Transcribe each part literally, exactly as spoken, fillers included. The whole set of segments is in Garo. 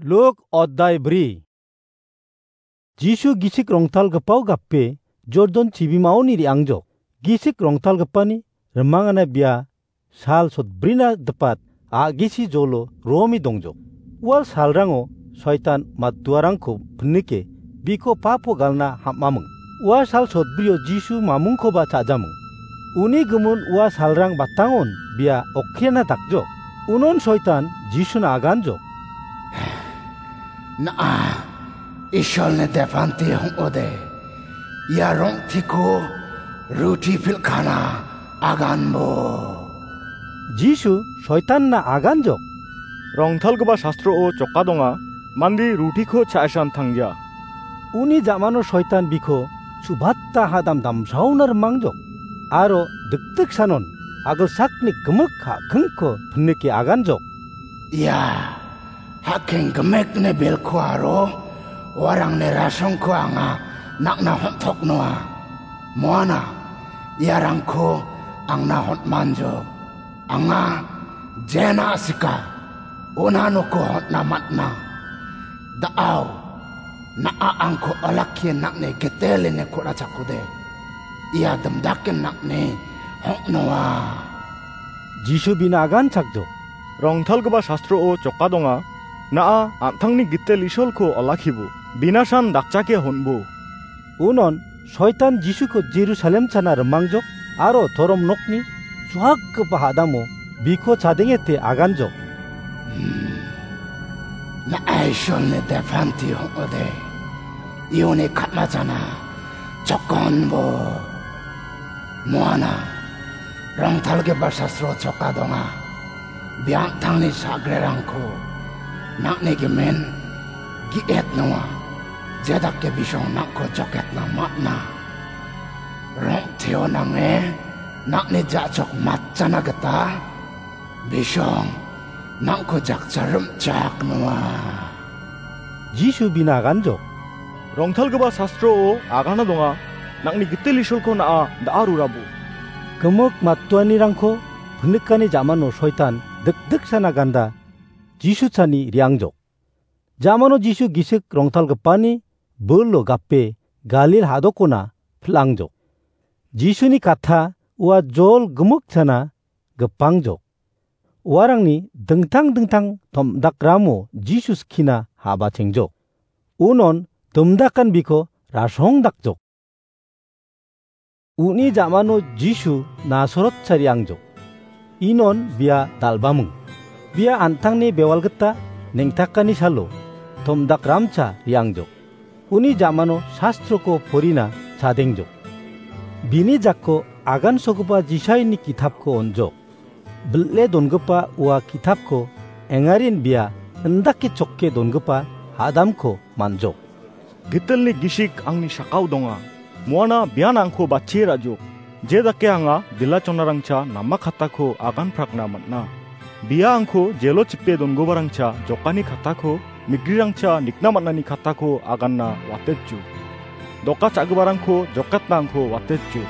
Luk oddai bri. Jisu gisik rongtalgipao gape Jordan chibimaoni re·angjok. Gisik rongtalgipani rimangana bia sal sotbrina dipat a·gisi jolo romi dongjok. Ua salrango soitan matduarangko pinike biko papo galna ham·aming. Ua sal sotbrio Jisu mamungkoba cha·jaming. Uni gimin ua salrang batangon bia okkena dakjok. Unon soitan Jisuna aganjok. Na·a, Isolni depanti hong·ode. Ia rong·tiko ruti pilkana aganbo. Jisu soitanna aganjok. Rongtalgipa sastroo joka donga, mande rutiko cha·asan tangja. Uni jamano soitan biko subata hadam damsaona rimangjok. Aro dikdiksanon agilsakni gimik ha·kingko pinike aganjok. Ia ha·king gimikni bilko aro uarangni rasongko anga nang·na hon·toknoa. Moana iarangko angna hon·manjok. Anga jena sika, ona noko hon·na man·a. Da·ao, na·a angko olakkie nang·ni gitelini ku·rachakode. Ia dimdake nang·ni hong·noa. Jisu bina aganchakjok. Rongtalgipa sastroo joka donga, na·a an·tangni gitel Isolko olakkibo, binasan dakchake honbo. Unon soitan Jisuko Jerusalem chana rimangjok aro torom nokni suakgipa hadamo biko chadengete aganjok. Hmm. Na·a Isolni depanti hong·ode. Iuni katmajana chokonbo. Moana, rongtalgipa sastro choka donga. Biangtangni sagrerangko nang·ni gimin gi·et nonga. Jedake bisong nang·ko joketna man·a. Rong·teo nange nang·ni ja·chok matchana gita bisong nang·ko jakcha rim·chak nonga. Jisu bina aganjok. Rongtalgipa sastroo agana donga, nang·ni gitel Isolko na·a da·a rurabo. Gimik mattuanirangko pinikani jamano soitan dikdiksana ganda Jisu chani re·angjok. Jamano Jisu gisik rongtalgipani bilo gape Galil hadokona pil·angjok. Jisuni katha ua jol gimik chana gipangjok. Uarangni dingtang dingtang tom·dakramo Jisu skina ha·bachengjok. Unon dimdakan biko rasong dakjok. Uni jamano Jisu Nasaret chariangjok. Inon bia dalbaming. Bia an·tangni bewal gita neng·takani salo tomdakramcha re·angjok. Uni jamano sastroko porina chadengjok. Bini jako agansogipa Jisaini kitapko on·jok. Bil·e dongipa ua kitapko engarin bia indake chokke dongipa hadamko man·jok. Gitelni gisik angni sakao donga. Moana bian angko batchie ra·jok. Je dake anga dilachonarangcha nama katako aganprakna man·a. Bia angko jelo chipe dongiparangcha jokani katako, migrirangcha nikna man·ani katako aganna watetjok. Doka cha·giparangko jokatna angko watetjok.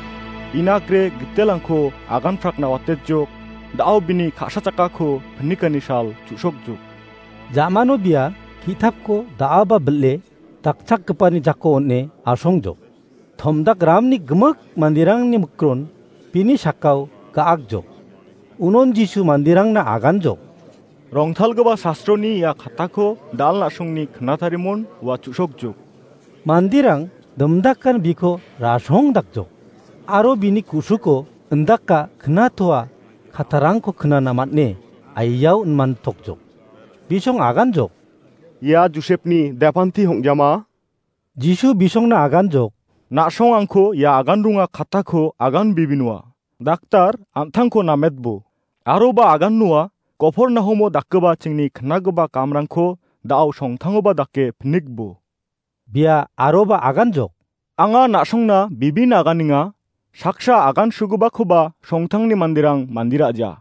Inakre gitelangko aganprakna watetjok. Da·o bini ka·sa chakako pinikani sal chu·sokjok. Jamano bia kitapko da·aba bil·e dakchakgipani jako on·e asongjok. Tomdakramni gimik manderangni mikron bini sakao ga·akjok. Unon Jisu manderangna aganjok. Rongtalgipa sastroni ia katako dal na·songni knatarimon ua chu·sokjok. Manderang dimdakan biko rasong dakjok. Aro bini ku·suko indaka knatoa katarangko knana man·e aiao inmantokjok. Bisong aganjok. Ia Josepni depanti hong·jama? Jisu bisongna aganjok. Na·song angko ia agan ronga katako agan bibinoa. Daktar, an·tangko nametbo. Aroba agan noa, Kopornahomo dakgipa chingni knagipa kamrangko da·o songtangoba dake pinikbo. Bia aroba aganjok. Anga na·songna bibin aganenga, saksa agan sugipakoba songtangni manderang mandira·ja.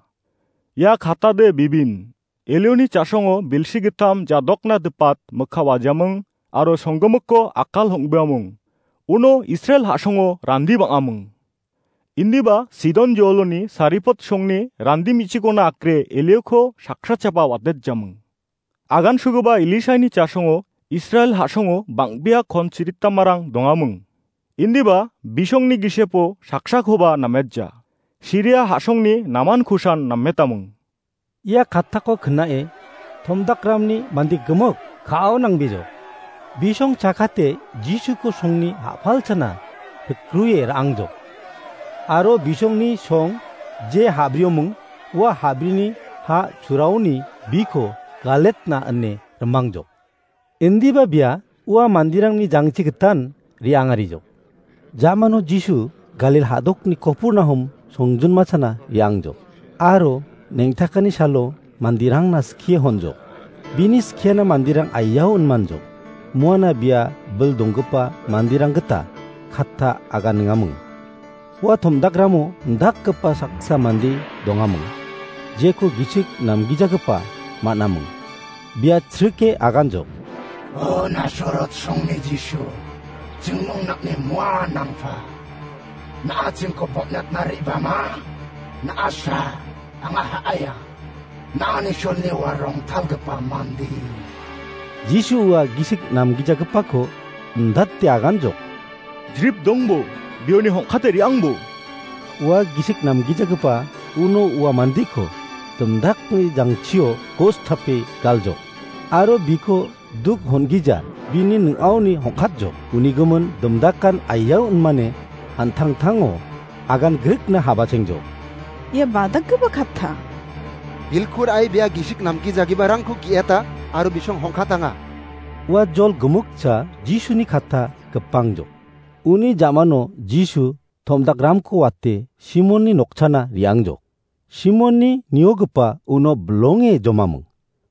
Ia katade bibin. Elioni cha·songo bilsi gittam jadokna dipat mikka wajaming aro songgimikko akal hong·biaming. Uno Israel ha·songo randi bang·aming. Indiba Sidon joloni Saripot songni randi me·chikona akre Elioko sakrachapa watetjaming. Agansogipa Elishaini chasongo Israel ha·songo bang·bea kon chiritamarang dongaming. Indiba bisongni gisepo saksakoba nametja. Siria ha·songni namankosan nametaming. Ia kattako knae tomdakramni mande gimik ka·ao nangbejok. Bisong chakate Jisuko songni ha·palchana pikrue ra·angjok. Aro bisongni song je ha·brioming ua ha·brini ha churaoni biko Galetna ine rimangjok. Indiba bia ua manderangni jangchi gitan re·angarijok. Jamano Jisu Galil ha·dokni Kopurnahum songjinmachana re·angjok. Aro neng·takani salo manderangna skie honjok. Bini skiana manderang aiao inmanjok. Muana bia bil donggipa manderang gita katta agan ningaming. Ua tomdakramo indakgipa saksa mande dongaming, jeko gisik namgijagipa man·aming. Bia chrike aganjok. O Nasaret songni Jisu, jingmong nakni mua nangpa. Na·a jingko botnatna re·bama? Na·asa anga ha·aia. Na·ani solni ua rongtalgipa mande. Jisu ua gisik namgijagipako indate aganjok. Jrip dongbo, bioni hongkate re·angbo. Ua gisik namgijagipa uno ua mandeko dimdakni jangchio kos tape galjok. Aro biko duk hon·gija bini ning·aoni hongkatjok. Uni gimin dimdakan aiao inmane an·tangtango agan grikna habachengjok. Ia badakgipa katta. Bilkul ai bia gisik namgijagiparangko gi·eta aro bisong hongkatanga. Ua jol gimikcha Jisuni katta gipangjok. Uni ja·mano Jisu tomdakramko wate Simonni nokchana re·angjok. Simonni niogipa uno bilonge jomaming.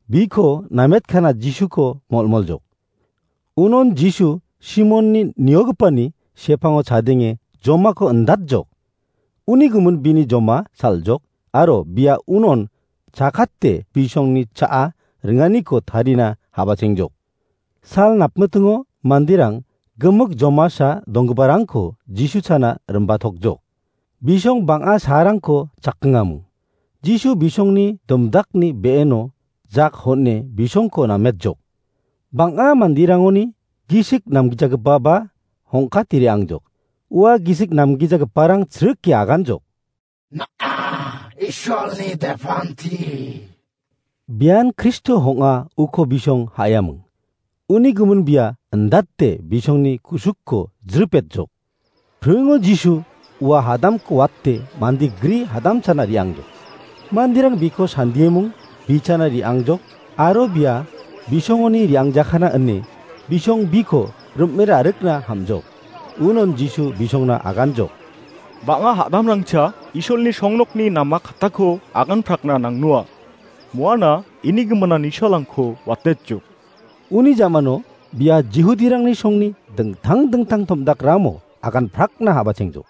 Biko nametkana Jisuko molmoljok. Unon Jisu Simonni niogipani sepango chadenge jomako indatjok. Uni gimin bini joma saljok aro bia unon chakate bisongni cha·a ringaniko tarina habachengjok. Sal napmitingo manderang gimik jomasa donggiparangko Jisu chana rimbatokjok. Bisong bang·a saarangko chakkingaming. Jisu bisongni dimdakni be·eno jak hon·e bisongko nametjok. Bang·a manderangoni gisik namgijagipaba hongkate re·angjok. Ua gisik namgijagiparang chrike aganjok. Na·a, Isolni depanti. Bian Kristo hong·a uko bisong ha·eaming. Uni gimin bia indate bisongni kusukko jripetjok. Pringo Jisu ua hadamko wate mande gri hadamchana re·angjok. Manderang biko sandiemung bichana re·angjok aro bia bisongoni re·angjakana ine bisong biko rim·e ra·rikna hamjok. Unon Jisu bisongna aganjok. Bang·a hadamrangcha Isolni songnokni nama kattako aganprakna nangnoa. Muana ini giminan Isolrangko watetjok. Uni jamano bia Jihudirangni songni dingtang dingtang tomdakramo aganprakna habachengjok.